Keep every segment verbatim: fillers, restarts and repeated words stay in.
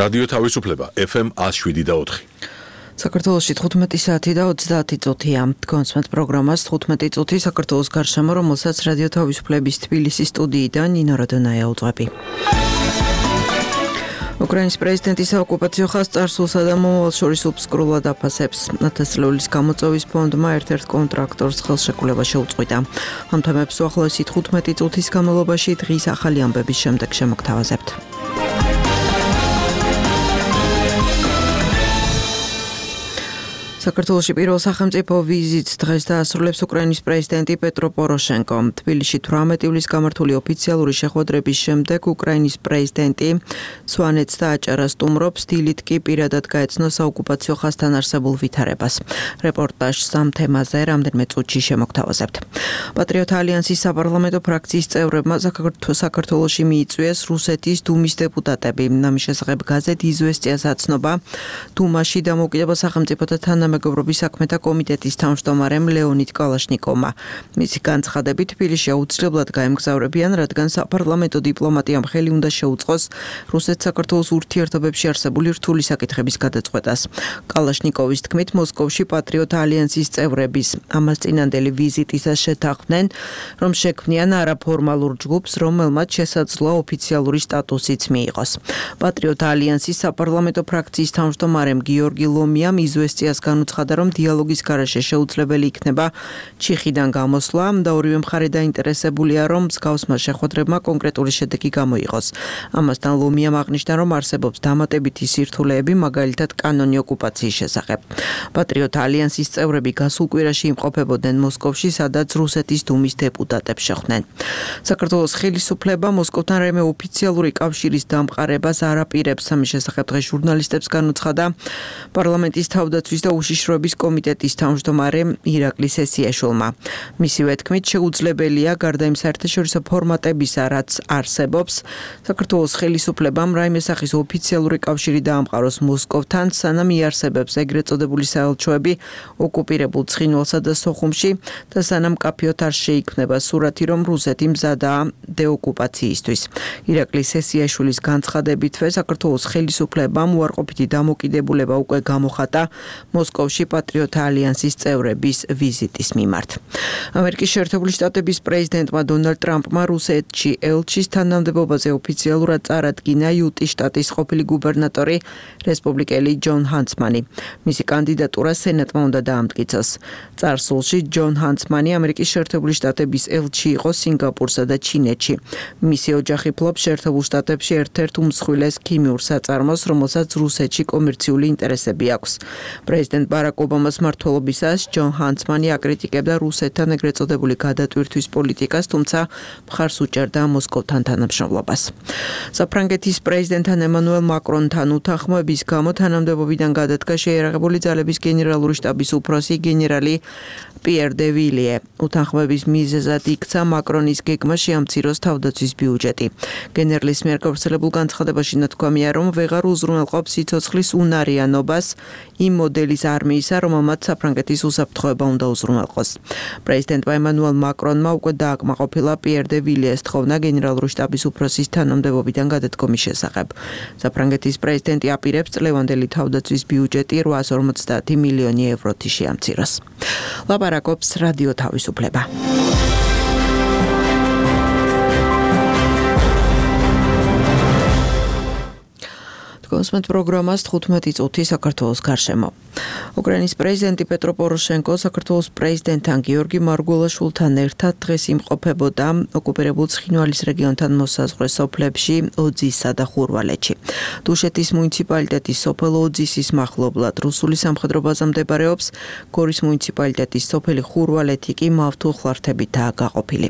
რადიო თავისუფლება ეფ ემ one oh seven და four. საქართველოში თხუთმეტი საათი და ოცდაათი წუთია. კონსმეთ პროგრამას თხუთმეტი წუთი საქართველოს გარშემო, რომელსაც რადიო თავისუფლების თბილისის სტუდიიდან ნინო რადონაია უძღვები. უკრაინის პრეზიდენტი საოკუპაციო ხაზს წარსულსა და მომავალს შორის უბსკრულად აფასებს. ათასწლეულის გამოწვევის ფონდმა ერთ-ერთ კონტრაქტორს ხელშეკრულება შეუწყვიტა. ამ თემებს უახლოესი თხუთმეტი წუთის განმავლობაში დღის ახალი ამბების შემდეგ შემოგთავაზებთ. საქართველოში პირველ სახელმწიფო ვიზიტს დღეს დაასრულებს უკრაინის პრეზიდენტი პეტრო პოროშენკო. თბილისში თვრამეტი ივლის გამართული ოფიციალური შეხვედრების შემდეგ უკრაინის პრეზიდენტი სვანეთს და აჭარას სტუმრობს, დილით კი პირადად გაეცნო საოკუპაციო ხაზთან არსებულ ვითარებას. რეპორტაჟს ამ თემაზე რამდენიმე წუთში შემოგთავაზებთ. პატრიოტ ალიანსის საპარლამენტო ფრაქციის წევრებმა საქართველოში მიიწვიეს რუსეთის დუმის დეპუტატები. ამის შესახებ გაზეთ იზვესტიას აცნობა დუმაში დამოუკიდებელ სახელმწიფოთა თანამეგობრობის საქმეთა კომიტეტის თავმჯდომარემ ლეონიდ კალაშნიკოვმა. მისი განცხადებით, თბილისში აუცილებლად გაემგზავრებიან, რადგან საპარლამენტო დიპლომატიამ ხელი უნდა შეუწყოს რუსეთ-საქართველოს ურთიერთობებში არსებული რთული საკითხების გადაწყვეტას. კალაშნიკოვის თქმით, მოსკოვში პატრიოტ ალიანსის წევრების ამას წინანდელი ვიზიტისას შეთანხმდნენ, რომ შექმნიან არაფორმალურ ჯგუფს, რომელმაც შესაძლოა ოფიციალური სტატუსიც მიიღოს. პატრიოტ ალიანსის საპარლამენტო ფრაქციის თავმჯდომარემ გიორგი ლომიამ იზვესტიას განუცხადა, რომ დიალოგის გარეშე შეუძლებელი იქნება ჩიხიდან გამოსვლა და ორივე მხარე დაინტერესებულია, რომ მსგავსმა შეხვედრებმა კონკრეტული შედეგი გამოიღოს. ამასთან ლომიამ აღნიშნა, რომ არსებობს დამატებითი სირთულეები, მაგალითად კანონი ოკუპაციის შესახებ. პატრიოტ ალიანსის წევრები გასულ კვირაში იმყოფებოდნენ მოსკოვში, სადაც რუსეთის დუმის დეპუტატებს შეხვდნენ. საქართველოს ხელისუფლება მოსკოვთან რაიმე ოფიციალური კავშირის დამყარებას არ აპირებს. ამის შესახებ დღეს ჟურნალისტებს განუცხადა პარლამენტის თავდაცვის და უშიშროების კომიტეტის თავმჯდომარე ირაკლი სესიაშვილმა. მისივე თქმით, შეუძლებელია გარდა იმ საერთაშორისო ფორმატებისა, რაც არსებობს, საქართველოს ხელისუფლებამ რაიმე სახის ოფიციალური კავშირი დაამყაროს მოსკოვთან, სანამ იარსებებს ეგრეთ წოდებული საელჩოები ოკუპირებულ ცხინვალსა და სოხუმში და სანამ კაფეოთ არ შეიქმნება სურათი, რომ რუსეთი მზადაა დეოკუპაციისთვის. ირაკლი სესიაშვილის განცხადებითვე საქართველოს ხელისუფლებამ უარყოფითი დამოკიდებულება უკვე გამოხატა მოსკოვში პატრიოტ ალიანსის წევრების ვიზიტის მიმართ. ამერიკის შეერთებული შტატების პრეზიდენტმა დონალდ ტრამპმა რუსეთში ელჩის თანამდებობაზე ოფიციალურად წარადგინა იუტის შტატის ყოფილი გუბერნატორი რესპუბლიკელი ჯონ ჰანცმანი. მისი კანდიდატურა სენატმა უნდა დაამტკიცოს. წარსულში ჯონ ჰანცმანი ამერიკის შეერთებული შტატების ელჩი იყო სინგაპურსა და ჩინეთში. მისი ოჯახი ფლობს შეერთებულ შტატებში ერთ-ერთ უმსხვილეს ქიმიურ საწარმოს, რომელსაც რუსეთში კომერციული ინტერესები აქვს. პრეზიდენტ ბარაკ ობამას მმართველობისას ჯონ ჰანცმანი აკრიტიკებდა რუსეთთან ეგრეთ წოდებული გადატვირთვის პოლიტიკას, თუმცა მხარს უჭერდა მოსკოვთან თანამშრომლობას. საფრანგეთის პრეზიდენტთან ემანუელ მაკრონთან უთანხმოების გამო თანამდებობიდან გადადგა შეიარაღებული ძალების გენერალური შტაბის უფროსი გენერალი პიერ დე ვილიე. უთანხმოების მიზეზად იქცა მაკრონის გეგმა შეამციროს თავდაცვის ბიუჯეტი. გენერლის მიერ გავრცელებულ განცხადებაში ნათქვამია, რომ ვეღარ უზრუნველყოფს სიცოცხლის უნარიანობას იმ მოდელის არმიისა, რომელმაც საფრანგეთის უსაფრთხოება უნდა უზრუნველყოს. პრეზიდენტმა ემანუელ მაკრონმა უკვე დააკმაყოფილა პიერ დე ვილიეს თხოვნა გენერალური შტაბის უფროსის თანამდებობიდან გადადგომის შესახებ. საფრანგეთის პრეზიდენტი აპირებს წლევანდელი თავდაცვის ბიუჯეტი რვაას ორმოცდაათი მილიონი ევროთი შეამციროს. ლაპარაკობს რადიო თავისუფლება. კონსმეთ პროგრამას თხუთმეტი წუთი საქართველოს გარშემო. უკრაინის პრეზიდენტი პეტრო პოროშენკო საქართველოს პრეზიდენტთან გიორგი მარგველაშვილთან ერთად დღეს იმყოფებოდა ოკუპირებულ ცხინვალის რეგიონთან მოსაზღვრე სოფლებში ოძისსა და ხურვალეთში. დუშეთის მუნიციპალიტეტის სოფელ ოძისის მახლობლად რუსული სამხედრო ბაზა მდებარეობს, გორის მუნიციპალიტეტის სოფელი ხურვალეთი კი მავთულ ხლართებითაა გაყოფილი.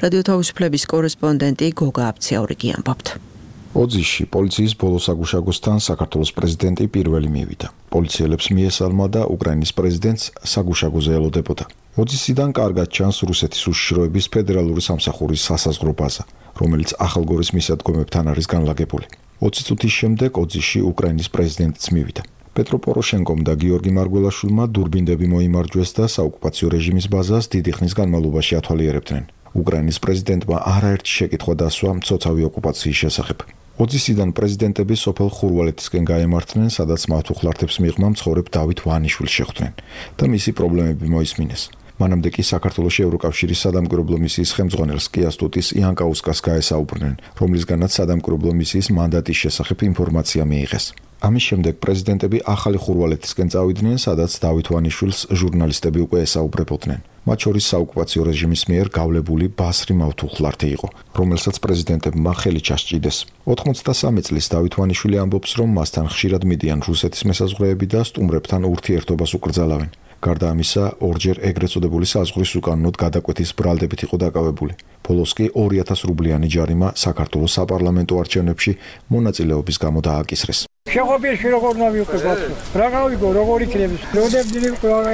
რადიო თავისუფლების კორესპონდენტი გოგა აბციაურიგი ამბობთ. ოძისში პოლიციის ბოლო საგუშაგოსთან საქართველოს პრეზიდენტი პირველი მივიდა. პოლიციელებს მიესალმა და უკრაინის პრეზიდენტს საგუშაგოზე ელოდებოდა. ოძისიდან კარგად ჩანს რუსეთის უშიშროების ფედერალური სამსახურის სასაზღვრო ბაზა, რომელიც ახალგორის მისადგომებთან არის განლაგებული. ოცი წუთის შემდეგ ოძისში უკრაინის პრეზიდენტიც მივიდა. პეტრო პოროშენკომ და გიორგი მარგველაშვილმა დურბინდები მოიმარჯვეს და საოკუპაციო რეჟიმის ბაზას დიდი ხნის განმავლობაში ათვალიერებდნენ. უკრაინის პრეზიდენტმა არაერთი შეკითხვა დასვა მცოცავი ოკუპაციის შესახებ. ოძისიდან პრეზიდენტები სოფელ ხურვალეთისკენ გაემართნენ, სადაც მათ უხლართებს მიღმა მცხოვრებ დავით ვანიშვილს შეხვდნენ და მისი პრობლემები მოისმინეს. მანამდე კი საქართველოში ევროკავშირის სადამკვირვებლო მისიის ხელმძღვანელს კიასტუტის იანკაუსკას გაესაუბრნენ, რომლისგანაც სადამკვირვებლო მისიის მანდატის შესახებ ინფორმაცია მიიღეს. ამის შემდეგ პრეზიდენტები ახალი ხურვალეთისკენ წავიდნენ, სადაც დავით ვანიშვილს ჟურნალისტები უკვე ესაუბრებოდნენ. მათ შორის საოკუპაციო რეჟიმის მიერ გავლებული ბასრი მავთუხლართი იყო, რომელსაც პრეზიდენტებმა ხელი ჩასჭიდეს. ოთხმოცდასამი წლის დავით ვანიშვილი ამბობს, რომ მასთან ხშირად მიდიან რუსეთის მესაზღვრეები და სტუმრებთან ურთიერთობას უკრძალავენ. გარდა ამისა, ორჯერ ეგრეთ წოდებული საზღვრის უკანონოდ გადაკვეთის ბრალდებით იყო დაკავებული. ბოლოს კი ორი ათას რუბლიანი ჯარიმა საქართველოს საპარლამენტო არჩევნებში მონაწილეობის გამო დააკისრეს. შეღობილში როგორ ნავიუყებათ? რა გავიგო, როგორ იქნების? როდებდილი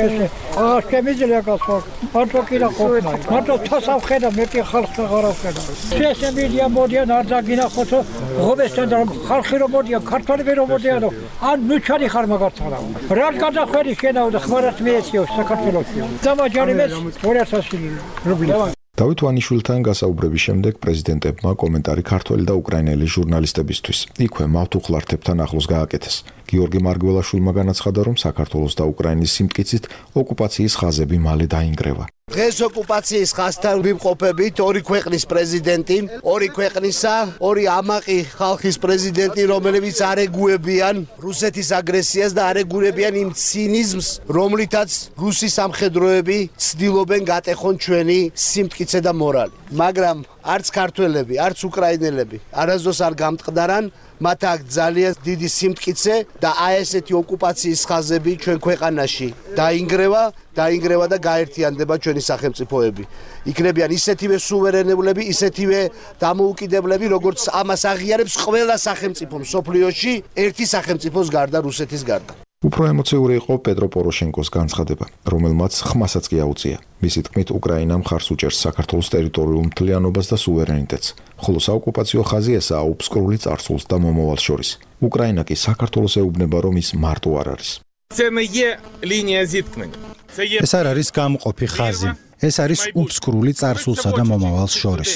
ესე. აა შემიძლია გასვლა. მარტო კი რა ყოფნა. მარტო თასავ ხედა, მეტი ხალხს აღარ ვხედა. შესებიდია მოდიან არ დაგინახოთო, ღობესთან და ხალხი რომ მოდიან, ქართველები რომ მოდიან, ან ნუჩარი ხარ მაგართან. რა გადახვედი შენაო და ხმარად მიეციო საქართველოში. დამაჯარიმეს ორი ათასი რუბლი. დავით ვანიშვილთან გასაუბრების შემდეგ პრეზიდენტებმა კომენტარი ქართველი და უკრაინელი ჟურნალისტებისთვის იქვე მავთუხლართებთან ახლოს გააკეთეს. გიორგი მარგველაშვილმა განაცხადა, რომ საქართველოს და უკრაინის სიმტკიცით ოკუპაციის ხაზები მალე დაინგრევა. დღეს ოკუპაციის ხაზთან ვიმყოფებით ორი ქვეყნის პრეზიდენტი, ორი ქვეყნისა, ორი ამაყი ხალხის პრეზიდენტი, რომლებიც არეგუებიან რუსეთის აგრესიას და არეგუებიან იმ ცინიზმს, რომლითაც რუსი სამხედროები ცდილობენ გატეხონ ჩვენი სიმტკიცე და მორალი. მაგრამ არც ქართველები, არც უკრაინელები არასდროს არ გამტყდარან, მათ აქ ძალიან დიდი სიმტკიცე და აი ესეთი ოკუპაციის ხაზები ჩვენ ქვეყანაში დაინგრევა, დაინგრევა და გაერთიანდება ჩვენი სახელმწიფოები. იქნებიან ისეთივე სუვერენებლები, ისეთივე დამოუკიდებლები, როგორც ამას აღიარებს ყველა სახელმწიფო მსოფლიოში, ერთი სახელმწიფოს გარდა, რუსეთის გარდა. უფრო ემოციური იყო პეტრო პოროშენკოს განცხადება, რომელმაც ხმასაც კი აუწია. მისი თქმით, უკრაინა მხარს უჭერს საქართველოს ტერიტორიულ მთლიანობას და სუვერენიტეტს, ხოლო საოკუპაციო ხაზი ესაა უბსკრული წარსულს და მომავალს შორის. უკრაინა კი საქართველოს ეუბნება, რომ ის მარტო არ არის. ეს არ არის გამყოფი ხაზი. ეს არის უბსკრული წარსულსა და მომავალს შორის.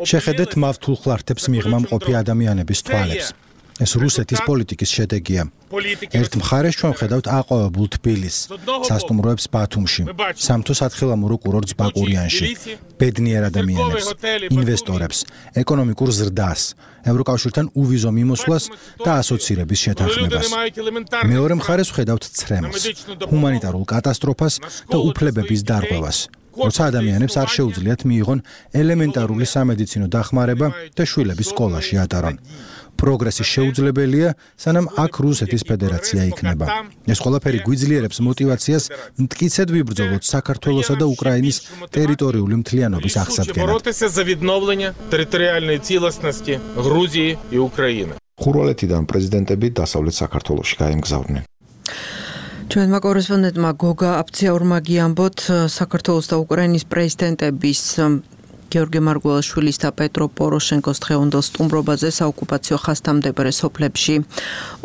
შეხედეთ მავთუხლართებს მიღმა მყოფი ადამიანების თვალებს. ეს რუსეთის პოლიტიკის შედეგია. ერთ მხარეს ჩვენ ვხედავთ აყვავებულ თბილისს, სასტუმროებს ბათუმში, სამთო სათხილამურო კურორტს ბაკურიანში, ბედნიერ ადამიანებს, ინვესტორებს, ეკონომიკურ ზრდას, ევროკავშირთან უვიზო მიმოსვლას და ასოცირების შეთანხმებას. მეორე მხარეს ვხედავთ ცრემლს, ჰუმანიტარულ კატასტროფას და უფლებების დარღვევას. როცა ადამიანებს არ შეუძლიათ მიიღონ ელემენტარული სამედიცინო დახმარება და შვილების სკოლაში ატარონ. პროგრესი შეუძლებელია, სანამ აქ რუსეთის ფედერაცია იქნება. ეს ყველაფერი გვიძლიერებს мотивაციას მტკიცედ ვიბრძოლოთ საქართველოსა და უკრაინის ტერიტორიული მთლიანობის აღსადგენად. ხურვალეთიდან პრეზიდენტები დასავლეთ საქართველოში გაემგზავრნენ. ჩვენმა კორესპონდენტმა გოგა აფციაურმა გიამბოთ, საქართველოს და უკრაინის პრეზიდენტების გიორგი მარგველაშვილის და პეტრო პოროშენკოს დღევანდელ სტუმრობაზე საოკუპაციო ხაზთამდებარე სოფლებში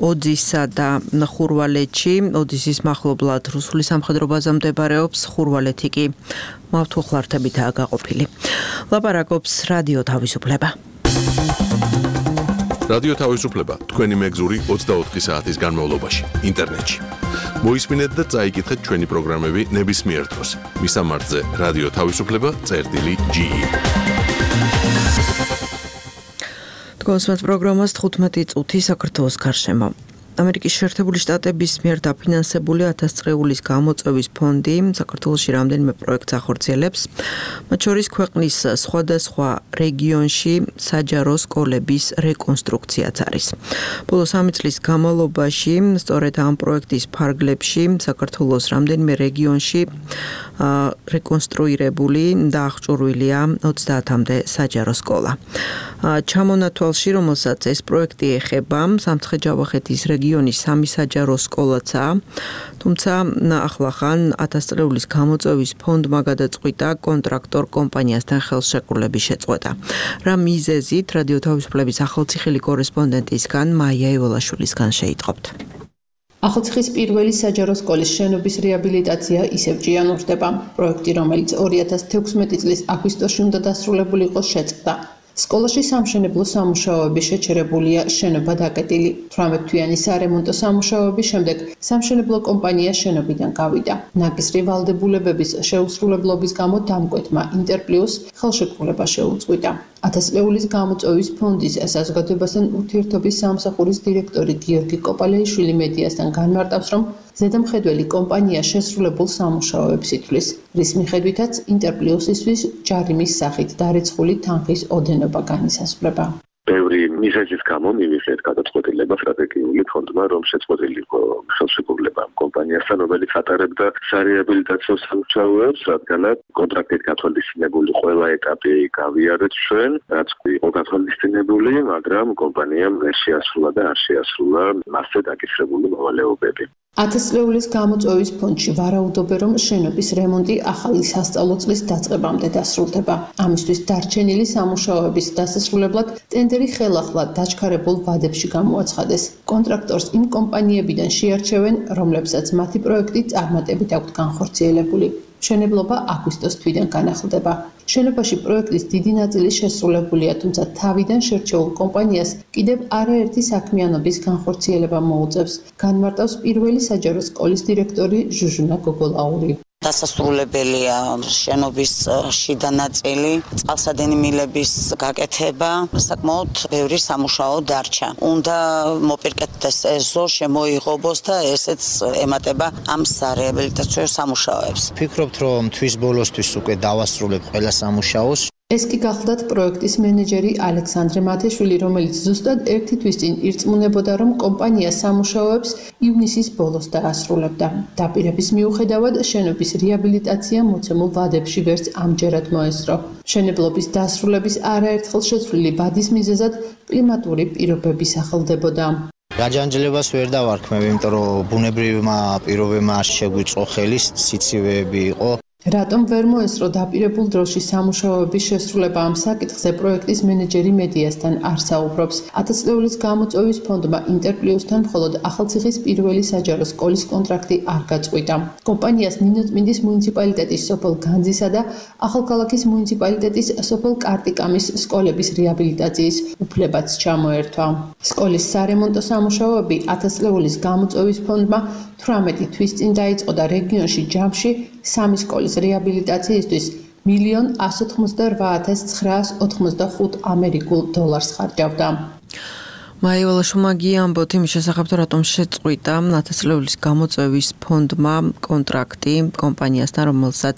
ოძისა და ხურვალეთში. ოძისის მახლობლად რუსული სამხედრო ბაზა მდებარეობს, ხურვალეთი კი მავთუხლართებითაა გაყოფილი. ლაპარაკობს რადიო თავისუფლება. რადიო თავისუფლება თქვენი მეგზური ოცდაოთხი საათის განმავლობაში ინტერნეტში. მოისმინეთ და წაიკითხეთ ჩვენი პროგრამები ნებისმიერ დროს. მისამართზე რადიო თავისუფლება წერტილი ჯი ი. თქვენს პროგრამას თხუთმეტი წუთი საქართველოს გარშემო. ამერიკის შეერთებული შტატების მიერ დაფინანსებული ათას წრეულის გამოწვევის ფონდი საქართველოში რამდენიმე პროექტს ახორციელებს, მათ შორის ქვეყნის სხვადასხვა რეგიონში საჯარო სკოლების რეკონსტრუქციაც არის. ბოლო სამი წლის განმავლობაში სწორედ ამ პროექტის ფარგლებში საქართველოს რამდენიმე რეგიონში რეკონსტრუირებული და აღჭურვილია ოცდაათამდე საჯარო სკოლა. ჩამონათვალში, რომელსაც ეს პროექტი ეხება, სამცხე-ჯავახეთის რეგიონის სამი საჯარო სკოლაცაა, თუმცა ახლახან ათას წრეულის გამოწვევის ფონდმა გადაწყვიტა კონტრაქტორ კომპანიასთან ხელშეკრულების შეწყვეტა. რა მიზეზით რადიო თავისუფლების ახალციხელი კორესპონდენტისგან მაია ევოლაშვილისგან შეიტყობთ. ახალციხის პირველი საჯარო სკოლის შენობის რეაბილიტაცია ისევ ჭიანურდება. პროექტი, რომელიც ორი ათას თექვსმეტი წლის აგვისტოში უნდა დასრულებულიყო, შეწყდა. სკოლაში სამშენებლო სამუშაოები შეჩერებულია, შენობა დაკეტილი. თვრამეტ თვიანი სარემონტო სამუშაოების შემდეგ სამშენებლო კომპანია შენობიდან გავიდა. ნაკისრი ვალდებულებების შეუსრულებლობის გამო დამკვეთმა ინტერპლიუს ხელშეკრულება შეუწყვიტა. ათასწლეულის გამოწვევის ფონდის საზოგადოებასთან ურთიერთობის სამსახურის დირექტორი გიორგი კოპალეიშვილი მედიასთან განმარტავს, რომ ზედამხედველი კომპანია შესრულებულ სამუშაოებს ითვლის, რის მიხედვითაც ინტერპლიუსისთვის ჯარიმის სახით დარიცხული თანხის ოდენობა განისაზღვრება. ბევრი მიზეზის გამო მივიღეთ გადაწყვეტილება სტრატეგიული ფონდმა, რომ შეწყვეტილიყო ხელშეკრულება კომპანიასთან, რომელიც ატარებდა სარეაბილიტაციო სამუშაოებს, რადგანაც კონტრაქტით გათვალისწინებული ყველა ეტაპი გავიარეთ ჩვენ, რაც იყო გათვალისწინებული, მაგრამ კომპანიამ ვერ შეასრულა და არ შეასრულა მასზე დაკისრებული მოვალეობები. ათასწლეულის გამოწვევის ფონდში ვარაუდობენ, რომ შენობის რემონტი ახალი სასწავლო წლის დაწყებამდე დასრულდება. ამისთვის დარჩენილი სამუშაოების დასასრულებლად ტენდერი ხელახლა დაჩქარებულ ვადებში გამოაცხადეს. კონტრაქტორს იმ კომპანიებიდან შეარჩევენ, რომლებსაც მათი პროექტი წარმატებით აქვთ განხორციელებული. მშენებლობა აგვისტოს თვიდან განახლდება. შენობაში პროექტის დიდი ნაწილი შესრულებულია, თუმცა თავიდან შერჩეულ კომპანიას კიდევ არაერთი საქმიანობის განხორციელება მოუწევს, განმარტავს პირველი საჯარო სკოლის დირექტორი ჟუჟუნა გოგოლაური. დასასრულებელია შენობის შიდა ნაწილი, წყალსადენი მილების გაკეთება, საკმაოდ ბევრი სამუშაო დარჩა. უნდა მოპირკეთდეს ეზო, შემოიღობოს და ესეც ემატება ამ სარეაბილიტაციო სამუშაოებს. ვფიქრობთ, რომ თვის ბოლოსთვის უკვე დავასრულებ ყველა სამუშაოს. ეს კი გახლდათ პროექტის მენეჯერი ალექსანდრე მათეშვილი, რომელიც ზუსტად ერთი თვის წინ ირწმუნებოდა, რომ კომპანია სამუშაოებს ივნისის ბოლოს დაასრულებდა. დაპირების მიუხედავად, შენობის რეაბილიტაცია მოცემულ ვადებში ვერც ამჯერად მოესწრო. მშენებლობის დასრულების არაერთხელ შეცვლილი ვადის მიზეზად კლიმატური პირობები სახელდებოდა. გაჯანჯლებას ვერ დავარქმევ, იმიტომ რომ ბუნებრივმა პირობებმა არ შეგვიწყო ხელი, სიცივეები იყო. რატომ ვერ მოესწრო დაპირებულ დროში სამუშაოების შესრულება ამ საკითხზე პროექტის მენეჯერი მედიასთან არ საუბრობს. ათასწლეულის გამოწვევის ფონდმა ინტერპლიუსთან მხოლოდ ახალციხის პირველი საჯარო სკოლის კონტრაქტი არ გაწყვიტა. კომპანიას ნინოწმინდის მუნიციპალიტეტის სოფელ განძისა და ახალქალაქის მუნიციპალიტეტის სოფელ კარტიკამის სკოლების რეაბილიტაციის უფლებაც ჩამოერთვა. სკოლის სარემონტო სამუშაოები ათასწლეულის გამოწვევის ფონდმა თვრამეტი თვის წინ დაიწყო და რეგიონში ჯამში სამი სკოლის რეაბილიტაციისთვის მილიონ ასი ოცდაოთხ ათას ცხრაას ოთხმოცდახუთ ამერიკულ დოლარს ხარჯავდა. მაივალა შუმაგი ამბობთ იმის შესახებ, რატომ შეწყვიტა ათასწლეულის გამოწვევის ფონდმა კონტრაქტი კომპანიასთან, რომელსაც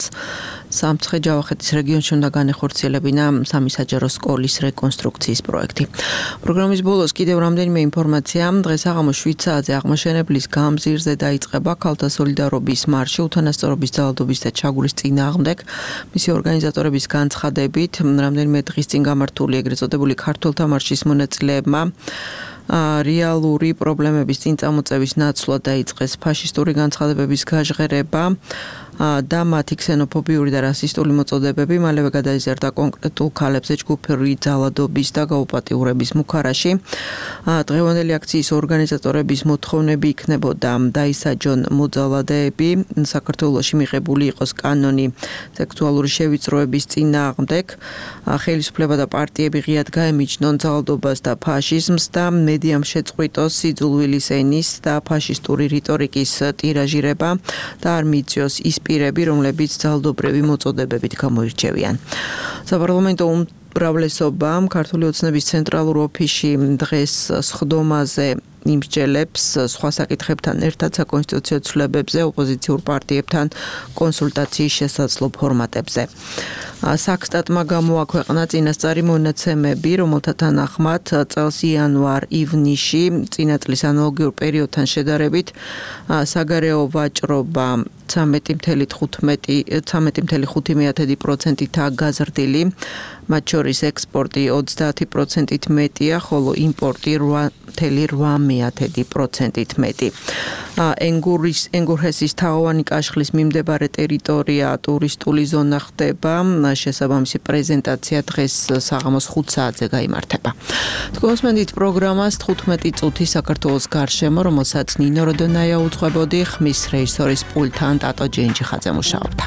სამცხე-ჯავახეთის რეგიონში უნდა განეხორციელებინა სამი საჯარო სკოლის რეკონსტრუქციის პროექტი. პროგრამის ბოლოს კიდევ რამდენიმე ინფორმაცია. დღეს აღამო შვიდ საათზე აღმაშენებლის გამზირზე დაიწყება ქალთა სოლიდარობის მარში უთანასწორობის ძალადობის და ჩაგვრის წინააღმდეგ. მისი ორგანიზატორების განცხადებით, რამდენიმე დღის წინ გამართული ეგრეთ წოდებული ქართველთა მარშის მონაწილეებმა რეალური პრობლემების წინ წამოწევის ნაცვლად დაიწყეს ფაშისტური განცხადებების გაჟღერება და მათი ქსენოფობიური და რასისტული მოწოდებები მალევე გადაიზარდა კონკრეტულ ქალებზე ჯგუფური ძალადობის და გაუპატიურების მუქარაში. დღევანდელი აქციის ორგანიზატორების მოთხოვნები იქნებოდა დაისაჯონ მოძალადეები, საქართველოში მიღებული იყოს კანონი სექსუალური შევიწროების წინააღმდეგ, ხელისუფლება და პარტიები ღიად გაემიჯნონ ძალადობას და ფაშიზმს და მედიამ შეწყვიტოს სიძულვილის ენის და ფაშისტური რიტორიკის ტირაჟირება და არ მიიწვიოს ის პირები, რომლებიც ძალადობრივი მოწოდებებით გამოირჩევიან. საპარლამენტო უმრავლესობამ ქართული ოცნების ცენტრალურ ოფისში დღეს სხდომაზე იმსჯელებს სხვა საკითხებთან ერთად საკონსტიტუციო ცვლილებებზე, ოპოზიციურ პარტიებთან კონსულტაციის შესაძლო ფორმატებზე. საქსტატმა გამოაქვეყნა წინასწარი მონაცემები, რომელთა თანახმად წელს იანვარ-ივნისში წინა წლის ანალოგიურ პერიოდთან შედარებით საგარეო ვაჭრობა ცამეტი წამეტი ხუთი პროცენტითაა გაზრდილი, მათ შორის ექსპორტი ოცდაათი პროცენტით მეტია, ხოლო იმპორტი რვა პროცენტით მეტი. ენგურის ენგურჰესის თაღოვანი კაშხლის მიმდებარე ტერიტორია ტურისტული ზონა ხდება. შესაბამისი პრეზენტაცია დღეს საღამოს ხუთ საათზე გაიმართება. თქვენსმენდით პროგრამას თხუთმეტი წუთი საქართველოს გარშემო, რომელსაც ნინო როდონაია უძღვებოდი, ხმის რეჟისორის პულტთან ტატო ჯენჯიხაძე მუშაობდა.